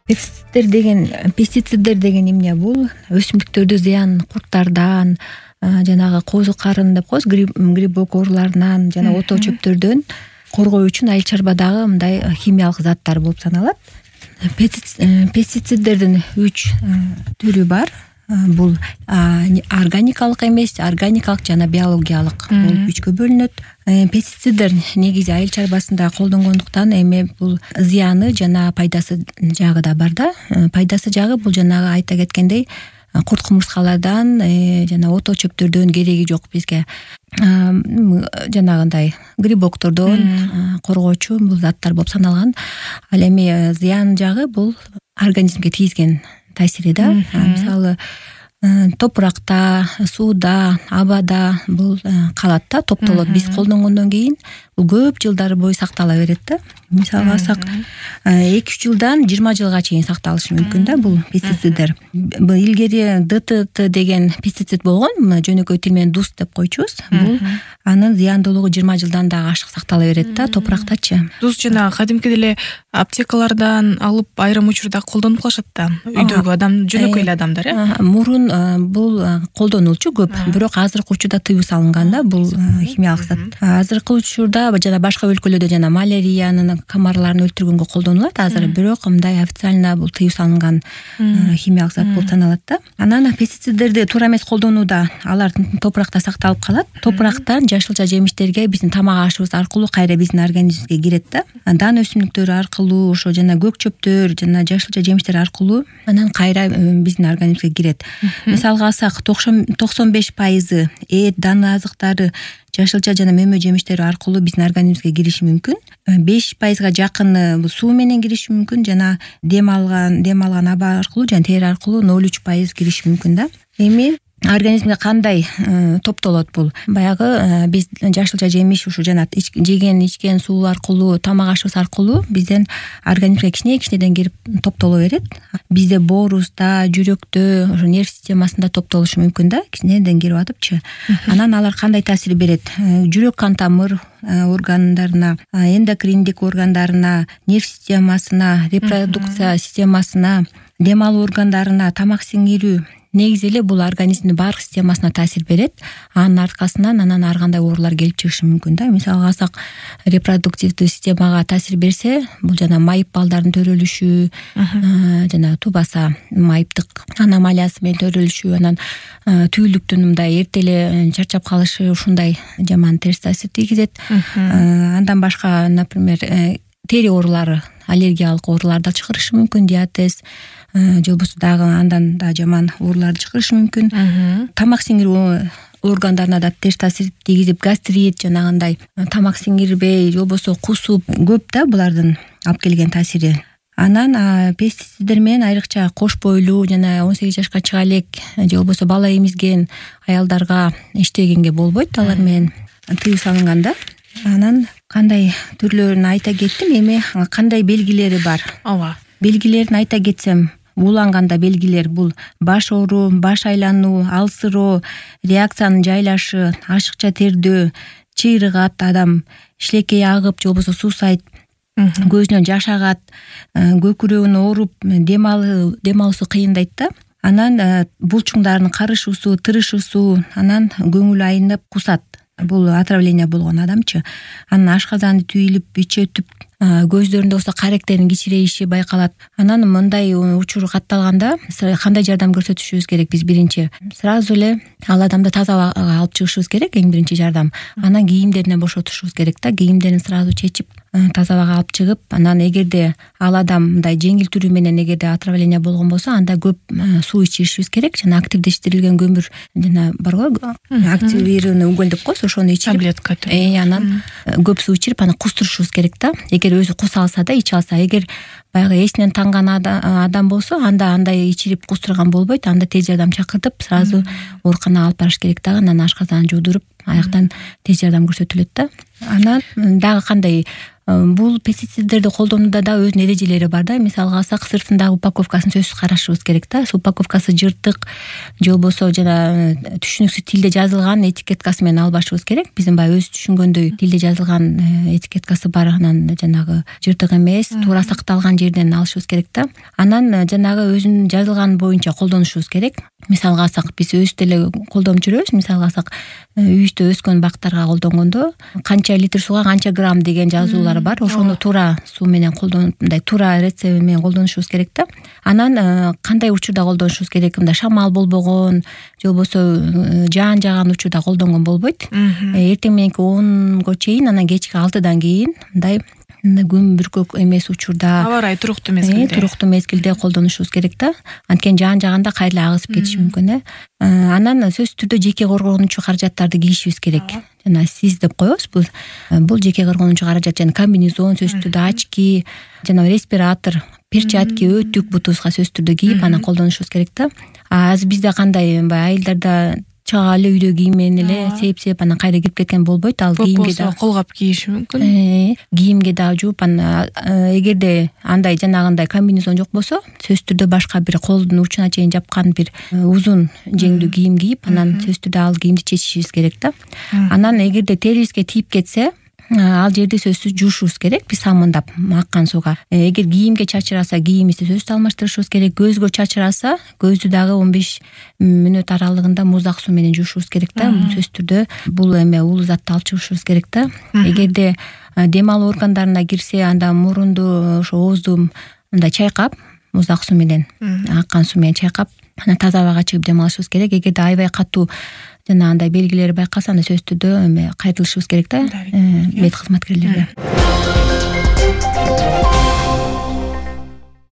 Пестициддер деген эмне? Бул өсүмдүктөрдө зыян курттардан, жанагы козу карын деп коебуз, грибок ооруларынан жана ото чөптөрдөн коргоо үчүн айыл чарбадагы мындай химиялык заттар болуп саналат. Пестициддердин 3 түрү бар. Бул органикалык эмес, органикалык жана биологиялык болуп 3кө бөлүнөт. Пестициддер негизи айыл чарбасында колдонгондуктан эми бул зыяны жана пайдасы жагы да бар да. Пайдасы жагы бул жанагы айта кеткендей курт кумурскалардан жана ото чөптөрдөн кереги жок бизге. Жанагындай грибоктордон коргоочу бул заттар болуп саналган. Ал эми зыян жагы бул организмге тийгизген таасири да. Мисалы топуракта, сууда, абада бул калат да, топтолот. Биз колдонгондон кийин бул көп жылдар бою сактала берет да. Мисалга алсак 2-3 жылдан 20 жылга чейин сакталышы мүмкүн да бул пестициддер. Бул илгери ДТТ деген пестицид болгон, жөнөкөй тил менен ДУС деп койчубуз. Бул анын зыяндуулугу 20 жылдан да ашык сактала берет да топурактачы. ДУС жана кадимки деле аптекалардан алып айрым учурда колдонуп калышат да. Үйдөгү адам, жөнөкөй эле адамдар, Мурун бул колдонулчу көп, бирок азыркы учурда тыюу салынган да бул химиялык зат. Азыркы учурда жана башка өлкөлөрдө жана малярияны, камарларын өлтүргөнгө колдонулат азыр, бирок мындай официально бул тыюу салынган химиялык зат болуп саналат да. Анан пестициддерди туура эмес колдонууда алар топуракта сакталып калат. Топурактан жашылча жемиштерге биздин тамак ашыбыз аркылуу кайра биздин организмибизге кирет да. Дан өсүмдүктөр аркылуу, ошо жана көк чөптөр жана жашылча жемиштер аркылуу анан кайра биздин организмибизге кирет. Мисалга алсак 95% эт, даны азыктары, жашылча жана мөмө жемиштери аркылуу биздин организмибизге кириши мүмкүн. 5%га жакыны бул суу менен кириши мүмкүн жана дем алган аба аркылуу жана тери аркылуу 0,3% кириши мүмкүн да. Эми организмге кандай топтолот бул? Баягы биз жашылча жемиш ушу жана жеген ичкен суу аркылуу, тамак ашыбыз аркылуу биздин организмге кичинеден кирип топтоло берет. Бизде боорубузда, жүрөктө, ошо нерв системасында топтолушу мүмкүн да, кичинеден кирип атыпчы. Анан алар кандай таасир берет? Жүрөк кан тамыр органдарына, эндокриндик органдарына, нерв системасына, репродукция системасына, дем алуу органдарына, тамак сиңирүү, негизи эле бул организмдин баардык системасына таасир берет. Анын аркасынан анан ар кандай оорулар келип чыгышы мүмкүн да. Мисалга алсак, репродуктивдүү системага таасир берсе, бул жана майып балдардын төрөлүшү, жана тубаса майыптык аномалиясы менен төрөлүшү, анан түүлүктүн мындай эрте эле чарчап калышы, ушундай жаман терс таасир тийгизет. Андан башка, например, тери оорулары, аллергиялык оорулар да чыгарышы мүмкүн, диатез, же болбосо дагы андан да жаман ооруларды чыгарышы мүмкүн. Тамак сиңирүү органдарына да терс таасир тийгизип, гастрит, жанагындай тамак сиңирбей, же болбосо кусуп, көп да булардын алып келген таасири. Анан пестициддер менен айрыкча кош бойлуу жана 18 жашка чыга элек, же болбосо бала эмизген аялдарга иштегенге болбойт, алар менен тыюу салынган да. Анан кандай түрлөрүн айта кеттим, эми кандай белгилери бар? Ооба. Белгилерин айта кетсем, ууланганда белгилер бул баш ооруу, баш айлануу, алсыроо, реакциянын жайлашы, ашыкча тердөө, чыйрыгат адам, шилекей агып, же болбосо суусайт, көзүнөн жаш агат, көкүрөгүн ооруп, дем алуусу кыйындайт да. Анан булчуңдардын карышуусу, тырышуусу, анан көңүлү айнып кусат. Бул отравление болгон адамчы. Анан ашказаны түйүлүп, ичи өтүп, көздөрүндө болсо каректердин кичирейиши байкалат. Анан мындай учур катталганда кандай жардам көрсөтүшүбүз керек? Биз биринчи сразу эле ал адамды таза абага алып чыгышыбыз керек, эң биринчи жардам. Анан кийимдеринен бошотушубуз керек да, кийимдерин сразу чечип, таза абага алып чыгып, анан эгерде ал адам мындай жеңил түрү менен эгерде отравление болгон болсо, анда көп суу ичиришибиз керек, жана активдештирилген көмүр жана барго, активированный уголь деп коебуз, ошону ичирип, таблетка. Анан көп суу ичирип, анан кустурушубуз керек да. Эгер өзү куса алса да, иче алса, эгер баягы эсинен танган адам болсо, анда андай ичирип кустурган болбойт, анда тез жардам чакыртып, сразу ооруканага алып барыш керек дагы. Анан ашказанын жуудуруп, аяктан тез жардам көрсөтүлөт да. Анан дагы кандай Бул пестициддерди колдонууда да өзүнүн эрежелери бар да. Мисалга алсак, сыртындагы упаковкасын сөзсүз карашыбыз керек да. Упаковкасы жыртык же болбосо жана түшүнүксүз тилде жазылган этикеткасы менен албашыбыз керек. Биздин баягы өзү түшүнгөндөй тилде жазылган этикеткасы бар, анан жанагы жыртык эмес, туура сакталган жерден алышыбыз керек да. Анан жанагы өзүнүн жазылган боюнча колдонушубуз керек. Мисалга алсак, биз өзүбүз деле колдонуп жүрөбүз. Мисалга алсак, үйүбүздө өскөн бактарга колдонгондо канча литр сууга канча грамм деген жазуулар бар. Ошону туура суу менен колдонуп, мындай туура рецепт менен колдонушубуз керек да. Анан кандай учурда колдонушубуз керек? Мындай шамал болбогон же болбосо жаан жааган учурда колдонгон болбойт. Эртең мененки 10го чейин, анан кечки 6дан кийин мындай күн бүркөк эмес учурда, аба ырайы туруктуу мезгилде колдонушубуз керек да. Анткени жаан жааганда кайра агызып кетиши мүмкүн. Анан сөзсүз түрдө жеке коргонуучу каражаттарды кийишибиз керек. Жана сиз деп коебуз. Бул жеке коргонуучу каражат, жана комбинезон, сөзсүз түрдө очки, жана респиратор, перчатки, өтүк бутубузга сөзсүз түрдө кийип анан колдонушубуз керек да. Азыр бизде кандай айылдарда чага эле үйдө кийим менен эле сеп анан кайра кирип кеткен болбойт. Ал кийимге да колгап кийиши мүмкүн. Кийимге да жууп, анан эгерде андай жанагындай комбинезон жок болсо, сөзсүз түрдө башка бир колдун учуна чейин жапкан бир узун жеңдүү кийим кийип, анан сөзсүз түрдө ал кийимди чечишибиз керек да. Анан эгерде терибизге тийип кетсе, ал жерди сөзсүз жуушубуз керек, биз самындап аккан сууга. Эгер кийимге чачыраса, кийимибизди сөзсүз алмаштырышыбыз керек. Көзгө чачыраса, көздү дагы 15 мүнөт аралыгында муздак суу менен жуушубуз керек да. Сөзсүз түрдө бул эме уулуу затты алып чыгышыбыз керек да. Эгерде дем алуу органдарына кирсе, анда мурунду, ошо оозду мындай чайкап, муздак суу менен, аккан суу менен чайкап, анан таза абага чыгып дем алышыбыз керек. Эгерде аябай катуу жана андай белгилери байкалса, анда сөзсүз түрдө кайрылышыбыз керек да мед кызматкерлерге.